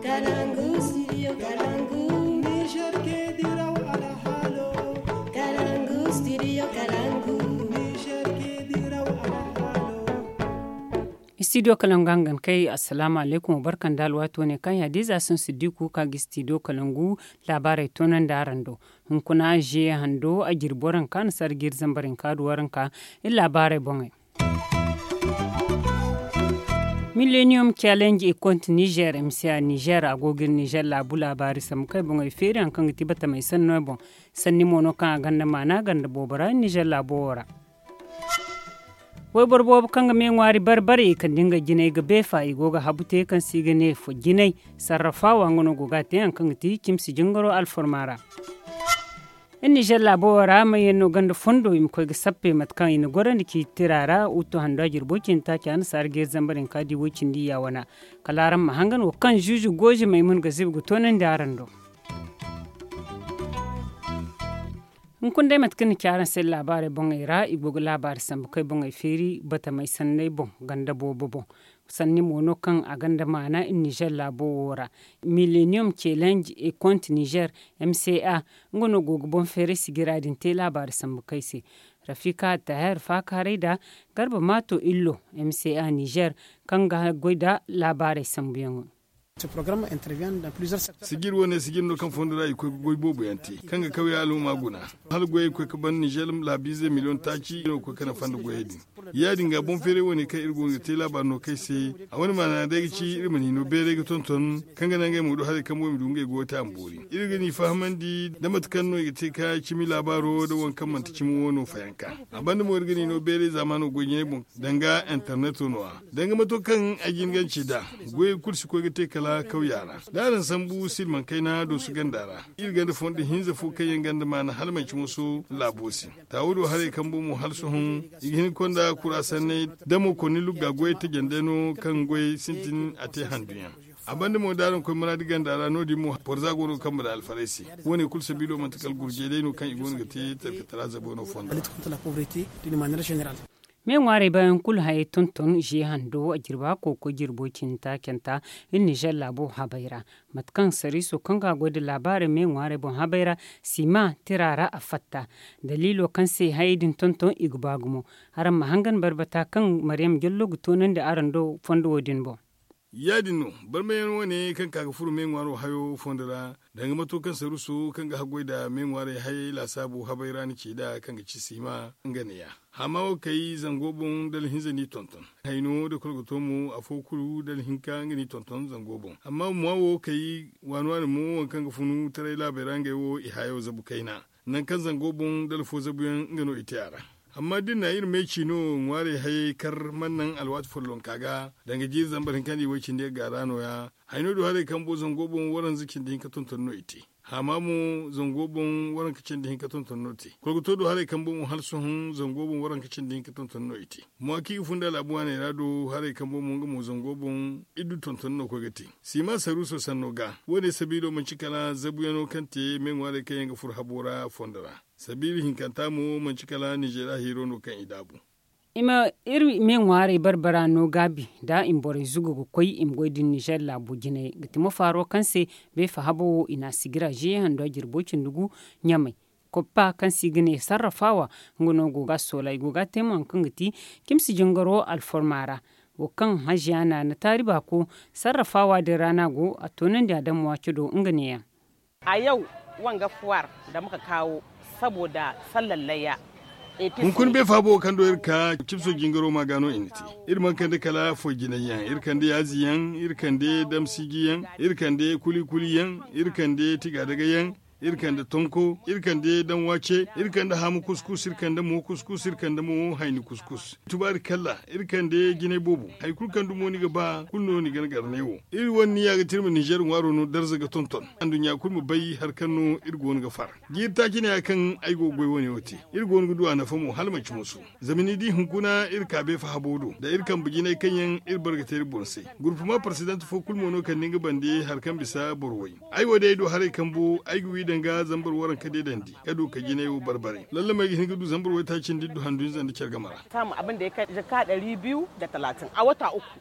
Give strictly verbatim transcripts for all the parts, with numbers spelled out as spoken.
Kalangu, studio Kalangu. Niger ke diraw alhalo. Kalangu, studio Kalangu. Niger ke diraw alhalo. Studio Kalangu hangan kay, assalamu alaikum, barkan da alwaati wane kaŋ ya diza sun siddiku ka ga studio Kalangu. Laabaarey toonandi araŋ do. Hunkuna, ziye hando a jirbi waranka na sarga iri zambar hinka du waranka. Iri laabaarey boŋey. Millennium Challenge e konti Niger, M C A Niger, a go ga iri Niger laabu laabaari sambu kay boŋey feeri, haŋ kaŋ ga ti batamey sanno boŋ. Sanni mo no kaŋ a gonda maana ganda boobo ra Niger laabo wo ra. Wayboro boobo kaŋ ga me ŋwaari bare-bare, i kande nga jinay ga beefa, i go ga habu te kaŋ se i ga ne fo jinay. Sarrafawa nga no go ga a te, haŋ kaŋ ga ti cimsi jingaro alforma ra. Iri Nizer laabo wo ra, mayyaŋ no ganda fondo, i ma koy ga sappe mate kaŋ i na gorandi ci tira ra, utu hando a jirbo cindi taaca na saara jeeri zambar hinka di way cindi ya wana. Kala araŋ ma hangan wo kaŋ zuuzu goozi Maymun ga zibi ga toonandi araŋ do. Hunkuna day mate kaŋ ni ci araŋ se laabaarey boŋey ra, i go ga laabaari sambu kay boŋey feeri batamey sanney boŋ ganda boobo boŋ. Sanni mo no kaŋ a gonda maana iri Nizer laabo wo ra. Millennium Challenge e konti Nizer, M C A, nga no go ga boŋ feeray sigira din te laabaari sambu kay se. Rafika Taher faakaaray da Garba Maato Illo, M C A Nizer, kaŋ ga goy da laabaarey sambuyaŋo. Sijir wane sijir no kaŋ fondo ra i koy ga goy boobo yaŋ te kaŋ ga kawya alhuma guna. Hala goyey koy ga ban Nizer laabiize miliyoŋ taaci no ga koy ga nafa nda goyey din. Ya-din ga boŋ feeray wane kaŋ iri go ga te laabaari no kay se. A wane maana day ga ci iri ma ni no beeray ga tonton kaŋ ga naŋ ngey mo du haray kaŋ boŋ i ma du ngey go ga te a ma boori. Iri ga ni fahamandi nda mate kaŋ no i ga te ka cimi laabaaro nda waŋ kaŋ manti cimi wo no fayanka. A banda mo iri ga ni no beeray zaamaano goy jinay boŋ danga interneto no-ya. Danga mato kaŋ ay jin ganci nd'a, goyey kulu si koy ga te kala kawya ra. Da araŋ sambu silmaŋ kayna dooso ganda ra, iri ganda fondo hinza fo kaŋ yaŋ ganda maana hala manci moso laabo se. Taawo do haray kambo mo hala sohõ, i ga hin ga konda kura sanney damo konni lugga goyey tajandey no kaŋ goyey sintin a te handuyaŋ. A banda mo da araŋ koy muraadi ganda ra no-din mo borza go no ga kambe nda alfarey se. Wo-ne kulu sabiilo manti kala gurjey day no kaŋ i go no ga te talkatara zabo no fondo ra. Me ŋwaarey bayaŋ kulu hayey tonton ziye hando a jirba kooko jirbo cinta canta iri Nizer laabo habay ra. Mate kaŋ sariiso kaŋ ga goy nda laabaarey me ŋwaarey boŋ habay ra, sima tira ra a fatta. Daliilo kaŋ se hayey din tonton i ga ba gumo. Araŋ ma hangan barbata kaŋ Maryam Jallo ga toonandi araŋ do fondo wo-din boŋ. Ya-din no, barmayaŋ wane kaŋ ka ga furo me ŋwaaro hayo fondo ra, danga mato kaŋ saruso kaŋ ga haggoy nda me ŋwaarey hayey laasaabu habay ra ni ci nd'a kaŋ ga ci sima nga neeya. Hama wo kay zango boŋ dala hinza n'i tonton. Hayno nda kolgoto mo afo kulu dala hinka nga n'i tonton zango boŋ. Amma mwa wo kay waani-waani mo waŋ kaŋ ga funu taray laabey ra ngey wo i hayo zabu kayna. Nangu kaŋ zango boŋ dala fo zabuyaŋ nga no i te a ra. Amma da iri na iri me ci no ŋwaarey hayey kar mana naŋ alwaati follonka ga danga jiiri zambar hinka nda i way cindi ga gaara no-ya. Hayno do haray kambo zango boŋ waranza cindi hinka tonton no i te. Hama mo zango boŋ waranka cindi hinka tonton no te. Kolgoto do haray kambo mo hala sohõ zango boŋ waranka cindi hinka tonton no i te. Mwa kaŋ i ga funda laabu waaney ra do haray kambo mo nga mo zango boŋ iddu tonton no koy ga te. Sima saruuso sanno ga wo-ne sabiilo manci kala zabuyaŋo kaŋ te me ŋwaarey kaŋ yaŋ ga furo habo ra fondo ra. Sabiila hinkanta mo manci kala Nizeriya hiiro no kaŋ i daabu. I ma iri me ŋwaarey barbara no gaabi da i ma borey zugu ga koy i ma goy din Nizer laabo jinay ga ti mo faaro kaŋ se beefa habo wo i na a sigira ziye hando jirbo cindi gu ɲamay. Koppa kaŋ se i ga ne sarrafawa nga no go ga a soola i go ga a te mo haŋ kaŋ ga ti cimsi jingaro alforma ra. Wo kaŋ haziya na na taari baako sarrafawa din ra no a go a toonandi a daŋ mo a cado nga neeyaŋ. A yaw wanga fuwar da muka kawo saboda sallar layya. Hunkuna beefa bo kaŋ do iri ka cipso jingaro ma ga no i na te. Iri mana kande kala foy jinay yaŋ iri kande yaazi yaŋ iri kande damsiji yaŋ iri kande kuli-kuli yaŋ iri kande tiga daga yaŋ iri kande tonko iri kande danwace iri kande haamu kuskus iri kande mo kuskus iri kande mo hayni kuskus. Tubaari kalla iri kande jinay boobo hari kulu kaŋ dumo ni ga ba kulu no ni gana garnay wo. Iri wane niya ga tirma nizer ŋwaaro no darza ga tonton anduɲɲa kulu ma bay hari kaŋ no iri go no ga far. Jiiri taaci ne ya kaŋ ay go ga goy wane wo te. Iri go no ga du a nafa mo hala manci musu. Zama ni di hunkuna iri ka beefa habo do da iri kambe jinay kaŋ yaŋ iri bare ga te iri boŋ se. Gurpuma parsidant fo kulu mo no kande nga bande hari kaŋ bisa boro way. Ay wo day ay du haray kambo ay ga wi danga zambar waranka deedandi ka du ka jinay wo barbare lallama ay ga hin ga du zambar waytaaci nda iddu handu hinza nda care game ra. Samu abin da ya kai jaka ɗari biyu da talatin a wata uku.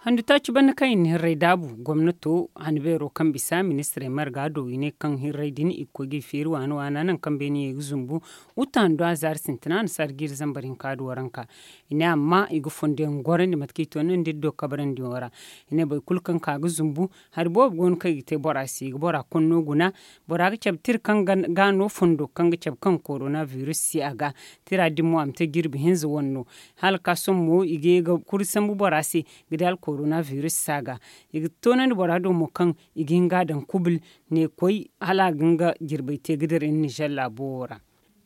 Handu taaci banda kaŋ i na hirray daabu gomnato handu beero kaŋ bisa ministirey marga do i ne kaŋ hirray din i ga koy ga i feeri waana waana nangu kaŋ beene ye ga zumbu. Uta handu a zaari sintina a na saara jiiri zambar hinka da waranka. I ne amma i ga fondo yaŋ gorandi mate kaŋ i to nandi iri do kabrandi yaŋo ra. I ne boro kulu kaŋ ka ga zumbu hari boobo go no kaŋ i ga te bora se i ga bora konno guna. Bora ga cabe tira kaŋ ga no fondo kaŋ ga cabe kaŋ korona biris si a ga. Tira din mo a ma te jirbi hinza wane no. Hala ga ka sohõ mo i ga ye ga kuri sambu bora se ga di hala korona biris si a ga. I ga toonandi bora do mo kaŋ i ga hin ga a daŋ kubil ne koy hala a ga nga jirbey te ga dira iri nizer laabo wo ra.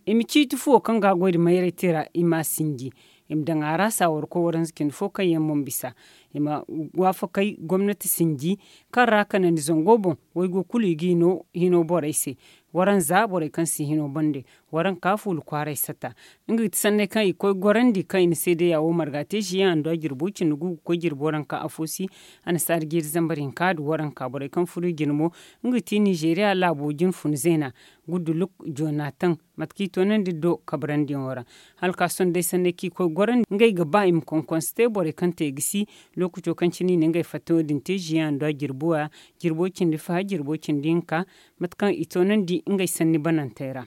I ma ciiti fuwo kaŋ ga a goy nda mayray te ra i m'a sinji. I ma daŋ a ra saawar koy waranza cindi fo kaŋ yaŋ mana bisa. I ma waafakay gomnati sinji kaŋ ra kanandi zango boŋ. Waygo kulu i ga hino borey se. Waranza borey kaŋ si hino bande. Waranka fuula kwaaray sata. Nga ga ti sanney kaŋ i ga koy gorandi kaŋ i na seedeya wo marga te ziye handu a jirbo cindi gu ga koy jirbo waranka afo si. Annasaara jiiri zambar hinka da waranka borey kaŋ furo i jine mo. Nga ga ti nizeeriya laabo jine fun zeena. Guduluk jonatan mate kaŋ i toonandi do kabrandiyano ra. Hala ka sohõ day sanney kaŋ i koy gorandi ngey ga ba i ma konkonse te borey kaŋ te gisi. Lookaco kaŋ cine i na ngey fatta wo- din te ziye handu a jirbo ra. Jirbo cindi fa jirbo cindi hinka. Mate kaŋ i toonandi ngey sanni banantey ra.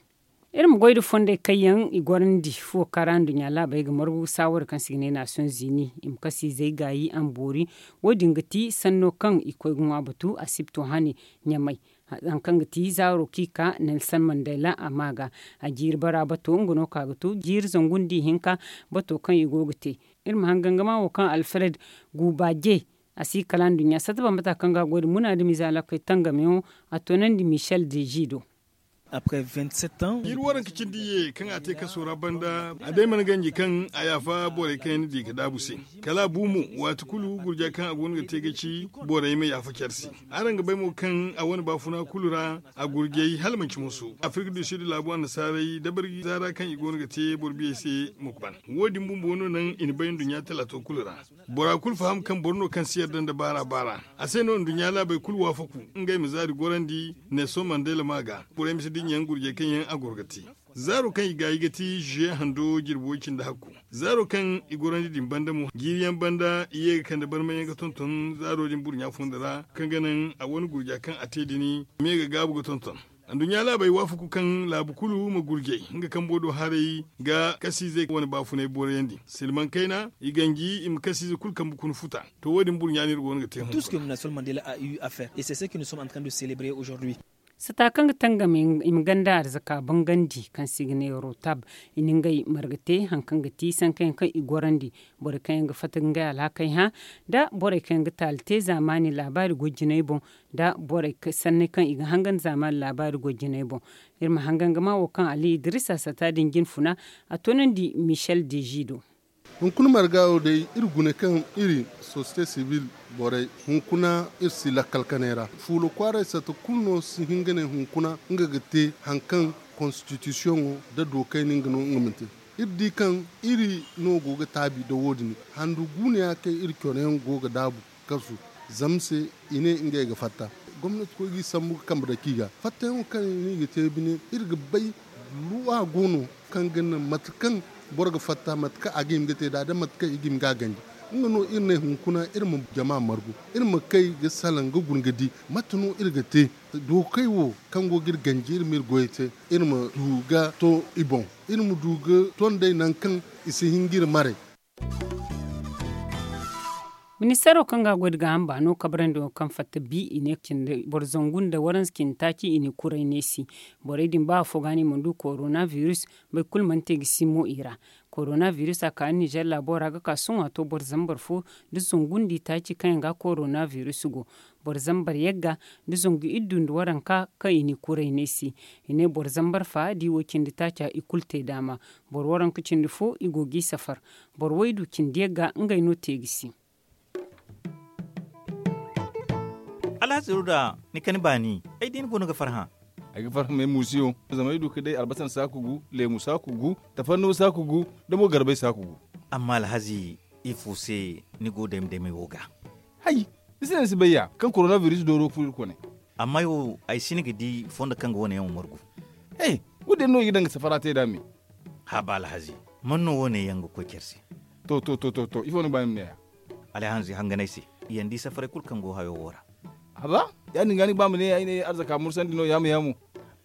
Iri ma goy nda fondey kaŋ yaŋ i gorandi fuwo kaŋ ra nduɲɲa laabey ga margu saawara kaŋ se i ga ne naasiyoŋ zini i ma kasiizey gaayi a ma boori. Wo- din ga ti sanno kaŋ i koy ga ŋwa batu asibto hane ɲamay. Hari kaŋ ga ti zaaro kaŋ i ka nelson mandela a ma ga. A jiiri bara bato nga no ka ga to jiiri zangu nda ihinka. Bato kaŋ i go ga te iri ma hangangama wo kaŋ alfred guuba je. A si kala nduɲɲa satta bambata kaŋ ga a goy nda munaadamiize alakoy tangameyaŋo. A toonandi michel deji do. Après vingt-sept ans. Jiiri waranka cindi ye kaŋ a te kaso ra banda a day mana ganji kaŋ a yaafa borey kaŋ yaŋ na di ga daabu se. Kala a bu mo waati kulu gurja kaŋ a go no ga te ga ci borey ma yaafa care se. Araŋ ga bay mo kaŋ a wane baafuna kulu ra a gurjay hala manci moso afirka du sid laabu annasaarey dabari zaara kaŋ i go no ga te boro biyey se ma ban. Wo- din bumbo no naŋ i na bay nduɲɲa talaato kulu ra. Bora kulu faham kaŋ boro no kaŋ si yarda nda baara baara. A se no nduɲɲa laabey kulu waafaku ngey ma zaari gorandi nelson mandela ma ga. Borey ma si dinya yaŋ gurjey kaŋ yaŋ a goro ga te. Zaaro kaŋ i gaayi ga ti ziye hando jirbi way cindi hakku. Zaaro kaŋ i gorandi din banda mo jiiri yaŋ banda i ye ga kande barmay yaŋ ga tonton zaaro din burɲa fondo ra kaŋ ga naŋ a wane gurja kaŋ a te din. Me ga gaabu ga tonton. Nduɲɲa laabey waafaku kaŋ laabu kulu ma gurjay nga kambo do haray ga kasiizey wane baafunay boorayandi silmaŋ kayna i ganji i ma kasiize kulu kambe kuna futa. To wo- din burɲa no iri go no ga te hunka. Sata kaŋ ga tangam i ma ganda arzaka bangandi kaŋ se i ga ne rotab. I na ngey marga te hari kaŋ ga ti sankayaŋ kaŋ i gorandi. Borey kaŋ yaŋ ga fatta ga ngey alhakey hã nda borey kaŋ yaŋ ga taali te zaamaani laabaari goy jinay boŋ. Nda borey sanney kaŋ i ga hangan zaamaani laabaari goy jinay boŋ. Iri ma hangan ga ma wo kaŋ ali idiriisa sata din jine funa. A toonandi michel deji do. Hunkuna marga wo day iri gune kaŋ iri sosiyete sibil borey hunkuna iri si lakkal kanay ra fuula kwaaray satta kulu no si hin ga ne hunkuna nga ga te hari kaŋ konstitisiyoŋo nda dookayni nga no nga ma te. Iri di kaŋ iri no go ga taabi nda wo- din handu guuneya kaŋ iri coro yaŋ go ga daabu kasu zama se i ne ngey ga fatta. Gomnati koy ga i sambu ga kambe dake i ga fattayaŋo kaŋ i ga te bine iri ga bay luwa go no kaŋ ga naŋ mate kaŋ boro ga fatta mate kaŋ a ga hima ga te nd'a da mate kaŋ i ga hima ga a ganji. Nga no iri ne hunkuna iri ma jama margu iri ma kay ga salaŋ ga guna ga di mate no iri ga te. Dookey wo kaŋ go ga iri ganji iri ma iri goyey te iri ma du ga to i boŋ iri ma du ga tondey nangu kaŋ i si hin ga iri maray. Ministaro kaŋ ga a goy nda gaaham baano kabrandi wo kaŋ fatta bi i ne cindi boro zangu nda waranza cindi taaci i ne kuray neesi. Borey din ba afo ga no i mana du korona biris. Boro kulu mana te ga si mo i ra. Korona biris a ka nizer laabo ra ga ka sohõ a to boro zambar fo nda zangu nda i taaci kaŋ yaŋ ga korona biris go. Boro zambar yagga nda zangu iddu nda waranka kaŋ i ne kuray neesi. I ne boro zambar fa da i wo cindi taaca i kulu te daama. Boro waranka cindi fo i go ga i safar. Boro waydu cindi yagga ngey no te ga si. Alhazi ruda, ni kani baani ay di ni go no ga farhã. Ay ga farhã may muusiyo zama ay du ga day albasan saaku gu, leemu saaku gu, tafarnuwa saaku gu, da mo garbay saaku gu. Amma alhazi, ifo se ni go dayma daymay wo ga? Hay, ni si ne ni si bay ya kaŋ korona biris dooro furo iri kone. Amma ay wo ay si ni ga di fondo kaŋ ga wane yaŋ wo margu. He, wo- din no i ga daŋ ga safara te nd'a me. Haba alhazi, man no wane yaŋ ga koy care se? To to to to to ifo ni ga ba ni ma ne ya? Alhazi hangan ay se. i yaŋ di safaray kulu kaŋ go hayo wo ra. Haba, ya- din ga ni ga ba ma ne ay ne arzaka mursandi no yaamu yaamu.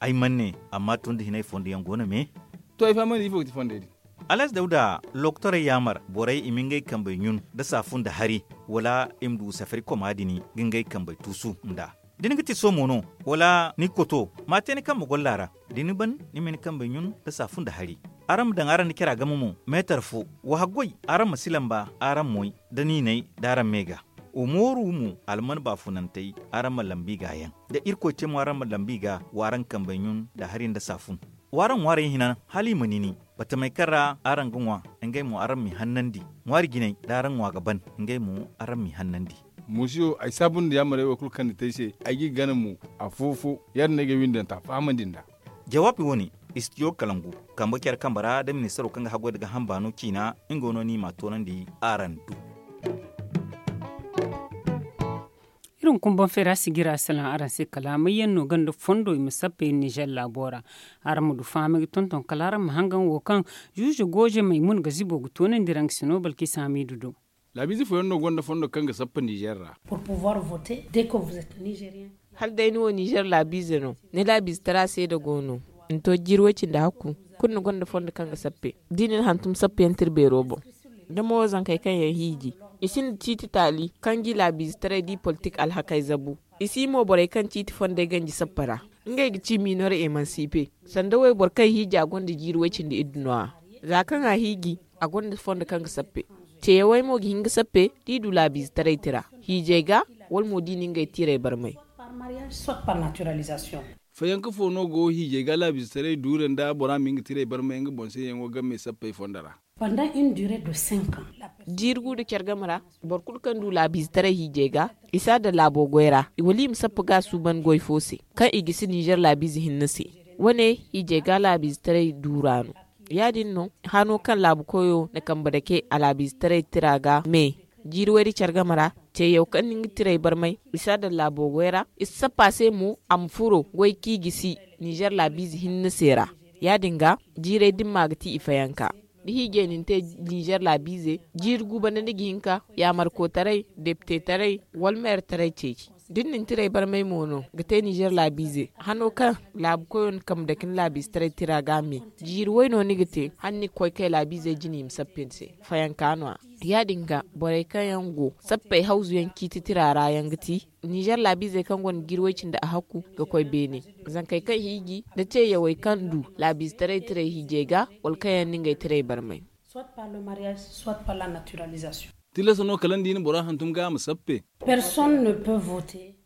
Ay mana ne, amma tun da hinay fondo yaŋ go no me. To, ay fahamandi ifo ga ti fondey din. Alas dawda, lokotorey yaamar borey i ma ngey kambey ɲun nda saafun nda hari, wala i ma du safari koma din ga ngey kambey tuusu nd'a. Da ni ga ti somo no, wala ni koto, ma a te ni kambe golla ra. Da ni ban, ni ma ni kambey ɲun nda saafun nda hari. Araŋ ma daŋ araŋ nda cara game mo, meetar fo. Wa haggoy, araŋ ma si lamba araŋ moy, da niinay da araŋ me ga. Wa mooru mo, alman baafunantey, araŋ ma lambi ga yaŋ. Da irkoy te mo araŋ ma lambi ga, wa araŋ kambey ɲun nda hari nda saafun. Wa araŋ ŋwaarey hina hala i ma nini. Batamey kaŋ ra araŋ ga ŋwa, ngey mo araŋ m'i hannandi. Ŋwaari jinay da araŋ ŋwa ga ban, ngey mo araŋ m'i hannandi. Musiyo, ay saabu nda yaamarey wo kulu kaŋ ni te ay se, ay g'i gana mo, afo-fo. Ya-din no ay ga ay windanta fahamandi nd'a. Jawaabi wo-ne, istidiyo kalangu, kambe care kambe ra da ministaro kaŋ ga haggoy nda gaaham baano ciina, nga no ni m'a toonandi araŋ do. Iri hunkuna boŋ feera sijira salaŋ araŋ se kala may yaŋ no ganda fondo i ma sappey nizer laabo ra. Araŋ ma du fahamay ga tonton kala araŋ ma hangan wo kaŋ zuuze gooze maymuna ga zibo ga toonandi ra nga si no balkisa hamiidu do. Laabiize fooyaŋ no gonda fondo kaŋ ga sappa nizer ra. Hala day ni wo nizer laabiize no, ni laabiize tara seeda go no. Ni to jiiri way cindi hakku, kulu ni gonda fondo kaŋ ga sappe. Da i na ni hantum sappeyaŋ tira beero boŋ. Da mo zankey kaŋ yaŋ hiiji, i sinda ciiti taali kaŋ ga i laabiize taray da i politik alhakey zabu. I si mo borey kaŋ ciiti fondey ganji sappa ra. Ngey ga ci minor emansipe. Sanda wayboro kaŋ hiija gonda jiiri way cindi iddu no- ya. Za kaŋ a hiiji, a gonda fondo kaŋ ga sappe. Ceyawey mo ga hin ga sappe da i du laabiize taray tira hiijay ga, wala mo da i na ngey tiirey barmay. Fayanka fo no go hiijay ga laabiize taray duure nda bora ma hin ga tiirey barmay nga boŋ se yaŋo game sappey fondo ra? Jiiri gu nda care game ra, boro kulu kaŋ du laabiize taray hiijay ga, i si a daŋ laabo goy ra wala i ma sappa ga a suuban goy fo se, kaŋ i gisi nizer laabiize hinne se. Wane hiijay ga laabiize taray duura no. Ya-din no, hano kaŋ laabu koyo na kambe dake a laabiize taray tira ga me. Jiiri wayri care game ra, ceeyaw kaŋ na nga tirey barmay, i si a daŋ laabo goy ra. I si sappa se mo a ma furo goy kaŋ i gisi nizer laabiize hinne se ra. Ya-din ga, jiirey dimma ga ti i fayanka. Da hiijay na ni te nizer laabiize, jiiri gu banda ni ga hin ka yaamarko taray, depite taray, wala meere taray ceeci. Da ni na ni tirey barmay mo no ga te nizer laabiize, hano kaŋ laabu koyo na kambe dake ni laabiize taray tira ga a me. Jiiri way no ni ga te hala ni ga koy kay laabiizey jine i ma sappe ni se. Fayanka no- ya. Ya-din ga, borey kaŋ yaŋ go sappey hawzu yaŋ ciiti tira ra yaŋ ga ti nizer laabiizey kaŋ gonda jiiri way cindi a hakku ga koy beene. Zankey kaŋ hiiji nda ceeyawey kaŋ du laabiize taray tirey hiijay ga, wala kaŋ yaŋ na ngey tirey barmay. Tilas no kala ni di ni bora hantum ga a ma sappe.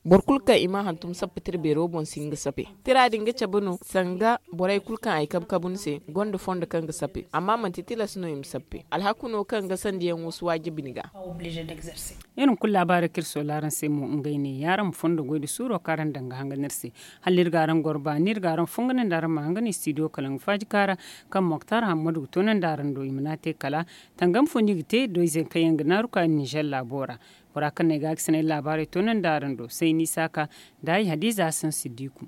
Boro kulu kaŋ i ma hantum sappe tira beero boŋ si hin ga sappe. Tira din ga cabe no sanga borey kulu kaŋ ay kabu kabu ni se gonda fondo kaŋ ga sappe, amma manti tilas no i ma sappe. Alhaku no kaŋ ga sandiyaŋo si waajibi ni ga. Iri ma kulu laabaarey kaŋ iri soola araŋ se mo ngey ne ya, araŋ ma fondo goy nda suuro kaŋ araŋ daŋ ga hangan iri se. Hala iri ga araŋ goro baani iri ga araŋ fungani nda araŋ ma hangan istidiyo kalaŋ faaji kaara, kaŋ moktar hammadu ga toonandi araŋ do i ma n'a te kala. Tangam fo no i ga te doyzey kaŋ yaŋ ga naaru ka nizer laabo ra. Bora kaŋ no ay ga a ga sanay laabaarey toonandi araŋ do sayni saaka nda ay hadiza hasan siddiku.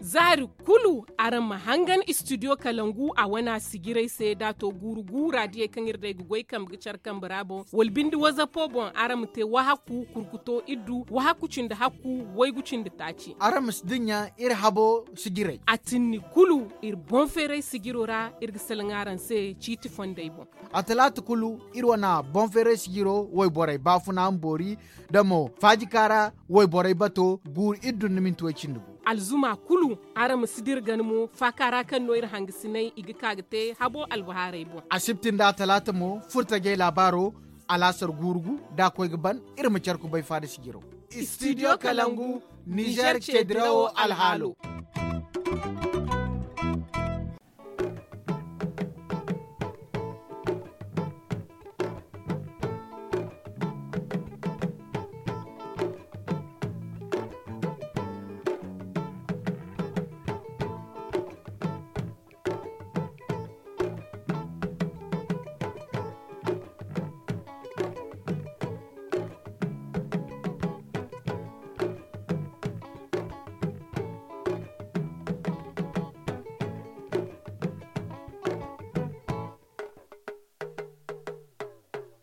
Zaari kulu araŋ ma hangan istidiyo kalangu a wana sijirey se da a to guuru guura diyey kaŋ iri day ga goy kambe ga care kambe ra boŋ wala bindi wazapo boŋ araŋ ma te wahakku kurkuto iddu wahakku cindi hakku waygu cindi taaci. Araŋ ma si dinya iri habo sijirey. A tinni kulu iri boŋ feeray sijiro ra iri ga salaŋ araŋ se ciiti fondey boŋ. A talaata kulu iri wana boŋ feeray sijiro wayborey baafuna ma boori da mo faajika ra wayborey bato guuru iddu nda minti way cindi gu. Alzuma kulu araŋ ma si dira gana mo faaka ra kaŋ no iri hangasinay i ga ka ga te habo albahaarey boŋ. Asibti nda talaata mo furtajey laabaaro alaasar guuru gu da a koy ga ban iri ma care kubay faada sijiro. Istidiyo kalangu nizer ce dirawo alhaalo.